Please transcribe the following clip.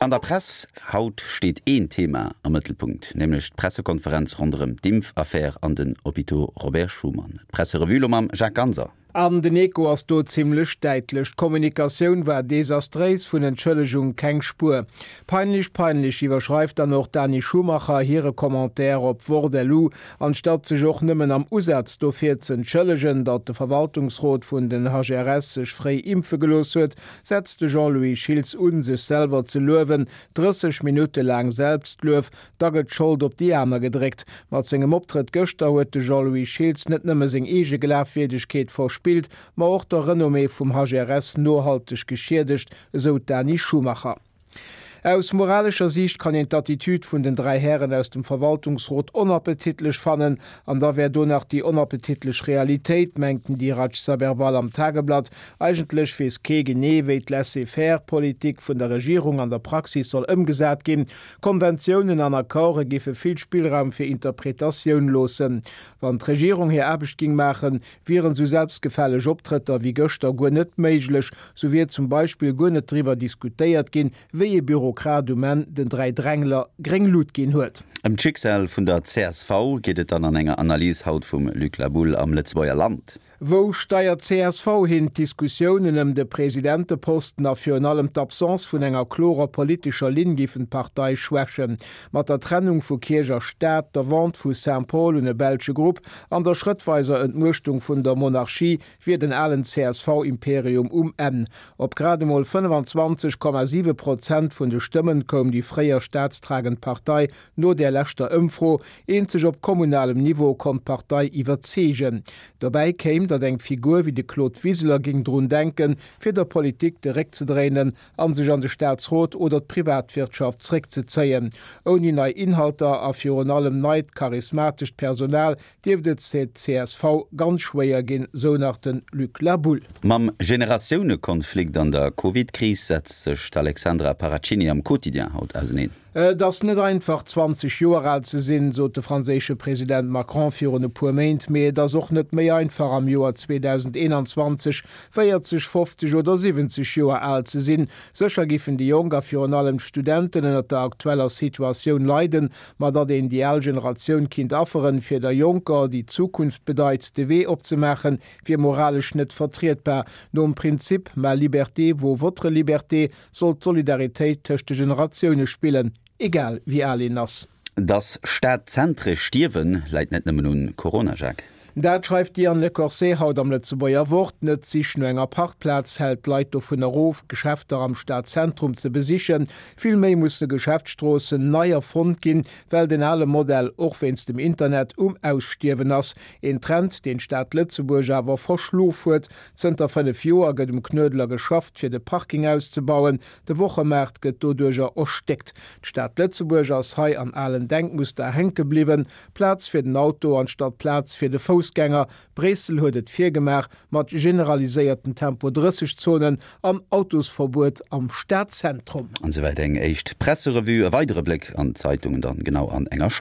An der Press haut steet een Thema am Mëttelpunkt, nämlech d'Pressekonferenz ronderëm d'Impfaffär an den Hôpitaux Robert Schuman. D'Presserevue lo mam Jacques Ganser. An den Echo ass do zimmlech däitlech, D'Kommunikatioun war desastréis, vun Entschëllegung keng Spuer. Peinlich, peinlich, iwwerschreift dann och d'Dani Schumacher hire Commentaire op Wort-LU. Anstatt sech och nëmmen am Usaz dofir z'entschëllegen, datt de Verwaltungsrot vun den HRS sech fréi impfe gelooss huet, setzt de Jean-Louis Schiltz un, sech selwer ze luewen. 30 Minutte laang Selbstluef, da gëtt d'Schold op déi aner gedréckt. Mat sengem Optrëtt gëschter huet de Jean-Louis Schiltz net nëmme seng eege Glafwierdegkeet verspillt, ma och der Renommée vum HRS nohalteg geschiedegt, esou d'Dani Schumacher. Aus moralescher Siicht kann een d'Attitüd vun den 3 Hären aus dem Verwaltungsrot onappetitlech fannen. An da wär do nach déi onappetitlech Realitéit, mengt den Dirac Saberwal am Tageblatt. Eigentlech weess kee genee, wéi d'Laissez-faire-Politik vun der Regierung an der Praxis soll ëmgesat ginn. Konventiounen an Accorde géife vill Spillraum fir Interpretatioun loossen. Wann d'Regierung hir Aarbecht géing maachen, wieren sou selbstgefälleg Optrëtter wéi gëschter guer net méiglech. Sou wier zum Beispill guer net driwwer diskutéiert ginn, wéi ee Bürokrat um Enn den 3 Drängler gréng Lut ginn huet. Ëm d'Schicksal vun der csv geet et dann an enger Analys haut vum Luc Laboulle am Lëtzebuerger Land. Wou steiert csv hin? D'Diskussiounen ëm de Presidenteposten a virun allem d'Absence vun enger klorer politescher Linn giffen d'Partei schwächen. Mat der Trennung vu Kierch a Staat, der Vente vu Saint-Paul un e belsche Grupp an der schrëttweiser Entmuechtung vun der Monarchie wier den alen CSV-Imperium um Enn. Op grad emol 25,7 Prozent vun de Stëmmen koum déi fréier staatstragend Partei no där leschter Ëmfro. Eenzeg op kommunalem Niveau konnt d'Partei iwwerzeegen. Dobäi kéim, datt eng Figur wéi de Claude Wiseler géing drun denken, fir der Politik de Réck ze dréinen an sech an de Staatsrot oder d'Privatwirtschaft zréckzezéien. Ouni nei Inhalter a virun allem neit charismatescht Personal dierft et csv ganz schwéier ginn, sou nach de Luc Laboulle. Mam Generatiounekonflikt an der Covid-Kris setzt sech d'Alexandra Paracchini am Quotidien haut auseneen. Et ass net einfach, 20 Joer al ze sinn, sot de franséische President Macron virun e puer Méint. Mee et ass och net méi einfach, am Joer 2021 40, 50 oder 70 Joer al ze sinn. Sécher giffen déi Jonk a virun allem d'Studenten ënnert der aktueller Situatioun leiden. Ma datt een déi al Generatioun kinnt afferen, fir der Jonker, déi d'Zukunft bedeit, de Wee opzemaachen, wier moralesch net vertrietbar. Nom Prinzip ma liberté vaut votre liberté Soll d'Solidaritéit tëscht de Generatioune spillen, egal wéi al een ass. Dass Stadzentre stierwen, läit net nëmmen un Corona, Jacques. Dat schreift d'Diane Lecorset haut am Lëtzebuerger Wort. Net d'Sich no enger Parkplaz hält d'Leit dovun erof, Geschäfter am Stadzentrum ze besichen. Vill méi musse Geschäftsstroossen nei erfonnt ginn, well den ale Modell och wéinst dem Internet um Ausstierwen ass. Een Trend, deen d'Stad Lëtzebuerg awer verschlof huet. Zënter 5 Joer gëtt um Knuedler geschafft, fir de Parking auszebauen. De Wochemaart gëtt doduercher erstéckt. D'Stad Lëtzebuerg ass hei an alen Denkmuster hänke bliwwen, Plaz fir den Auto anstatt Plaz fir de Foussgänger. Bréissel huet et virgemaach, mat generaliséierten Tempo 30 Zonen an Autosverbuet am Stadzentrum. An esouwäit eng éischt Presserevue. E weidere Bléck an d'Zeitungen dann genau an enger Stonn.